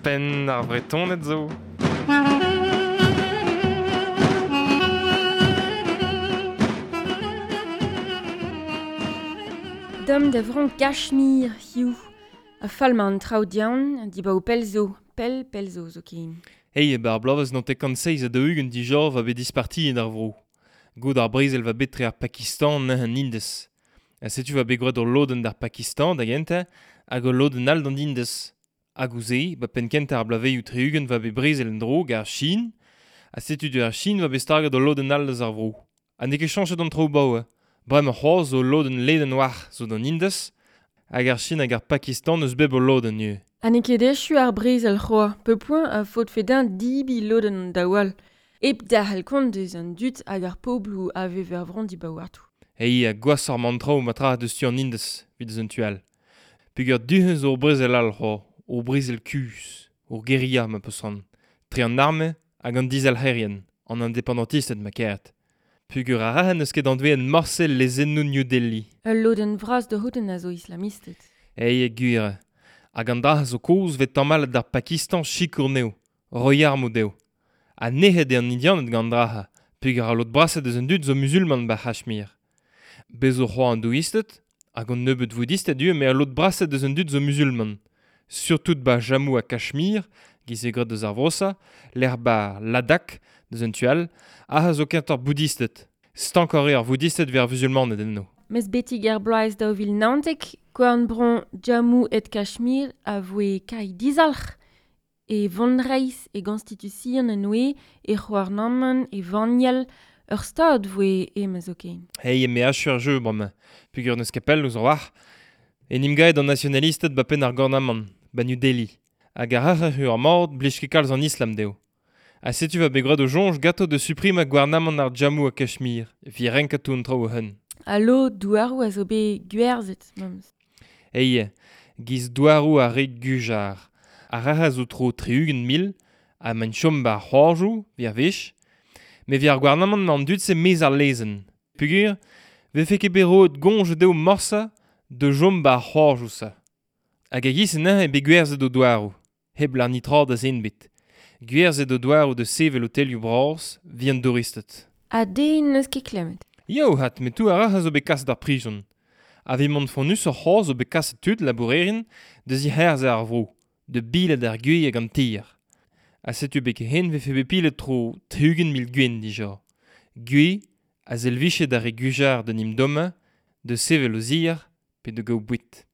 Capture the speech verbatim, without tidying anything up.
Penn ar Vretoned zo. Dom da vron Kachmir, hiu. A fall ma an traoù dian, di ba o pell zo, pell pell zo zo ken. Hey, bar blavez n'an tekant seiz a daou-ugent dija va bet disparti en ar vro. Gout ar brezel va bet tre ar Pakistan an Indez. Ha setu va bet gwraet ur lodenn d'ar Pakistan da gentañ hag ur lodenn all d'an Indez. Hag ouzh-se, ba penn kentañ ar blavezioù tri-ugent va bet brezel en-dro gant ar Chine, ha setu du ar Chine va bet staget ur lodenn all eus ar vro. Ha n'eo ket chañchet an traoù baoe. Bremañ c'hoazh zo lodenn ledan war zo d'an Indez, hag ar Chine hag ar Pakistan eus bep ul lodenn ivez. Ha n'eo ket echu ar brezel c'hoazh, pepoent a faotfe din dibi lodenn an daou all. Hep derc'hel kont eus an dud hag ar pobloù a vev er vro dibaouartoù. Ei, ha gwashoc'h emañ an traoù ma tra deus tu an Indez, evit eus an tu all. Peogwir du-hont zo ur brezel all c'hoazh, ur brezel kuzh, ur guerilla ma peus c'hoant, tre an arme hag an dizalc'herien, an independantisted ma karet. Peogwir ar rahen n'eus ket anveet morse lezennoù New Delhi. Ul lodenn vras da c'houdenn a zo islamisted. Ei, gwir. Hag an dra zo kozh 'vez tamallet d'ar Pakistan sikour anezho, roiñ armoù dezho. Ha nec'het eo an Indianed gant an dra-se, peogwir ar lod brasañ deus an dud zo muzulman ba Kachmir. Bez zo c'hoazh an douisted, hag an nebeud voudisted ivez, met al lod brasañ deus an dud zo muzulman. Surtout ba Jammu ha Kachmir, giz eo graet deus ar vro-se, lec'h ba Ladakh, deus an tu all, aze zo kentoc'h boudisted. Stankoc'h eo ar voudisted 'vit ar vuzulmaned enno. Mes betek ar bloaz daou vil naontek, korn-bro Jammu et Kachmir a voe kai dizalc'h e vonreizh e gonstitution en oe, e c'houarnamant, e vaniel, ur stad voe ema zoken. Hey, me achu ar jeu bremañ, peogwir n'eus ket pell ouzh ar war. En em gaet an nasionalisted ba penn ar gouarnamant, ba New Delhi. Hag ar rac'h eo ar mord blij ket kalz an islam dezho. Ha setu va bet graet o soñj ganto da suprimañ gouarnamant ar Jammu ha Kachmir, evit renkañ tout an traoù o-hun. Allo, douaroù a zo bet gwerzhet, memes. Ei, giz douaroù ar re Gujar. Ar rac'h a zo tro tri-ugent mil, ha maint chom ba ar c'hoajoù, 'vit ar wech. Met evit ar gouarnamant emañ an dud-se maez ar lezenn. Peogwir, 'vefe ket bet roet goñj dezho morse da chom ba ar c'hoajoù-se. Hag a-giz neuze eo bet gwerzhet o douaroù, hep lâr netra da zen ebet. Gwerzhet o douaroù da sevel otelioù bras, 'vit an douristed. Ha den n'eus ket klemmet. Eo 'vat, met tout ar rac'h a zo bet kaset d'ar prizon. Ha 'vit mont fonnusoc'h c'hoazh zo bet kaset tud labourerien da zic'herzañ ar vro, da bilat ar gwez hag an tier. Ha setu betek-henn 'vefe bet pilet tro tri-ugent mil gwenn dija. Gwez a servije d'ar re Gujar d'en em dommañ, da sevel o zier pe da gaout boued.